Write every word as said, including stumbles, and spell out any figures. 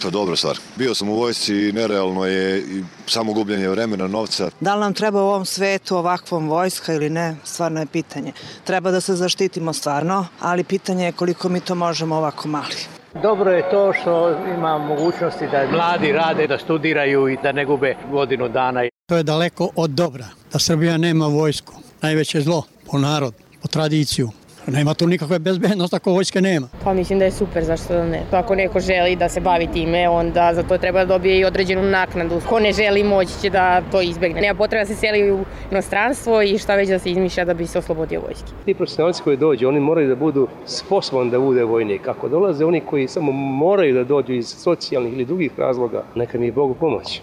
To je dobra stvar. Bio sam u vojsci i nerealno je i samo gubljenje vremena, novca. Da li nam treba u ovom svetu ovakvom vojska ili ne, stvarno je pitanje. Treba da se zaštitimo stvarno, ali pitanje je koliko mi to možemo ovako mali. Dobro je to što ima mogućnosti da mladi rade, da studiraju i da ne gube godinu dana. To je daleko od dobra, da Srbija nema vojsku. Najveće zlo po narod, po tradiciju. Nema tu nikakve bezbednosti ako vojske nema. Pa mislim da je super, zašto da ne. Ako neko želi da se bavi time, onda za to treba da dobije i određenu naknadu. Ko ne želi moći će da to izbegne. Nema potreba da se seli u inostranstvo i šta već da se izmišlja da bi se oslobodio vojske. Ti profesionalci koji dođu, oni moraju da budu sposobni da bude vojnik. Ako dolaze oni koji samo moraju da dođu iz socijalnih ili drugih razloga, neka mi je Bogu pomoći.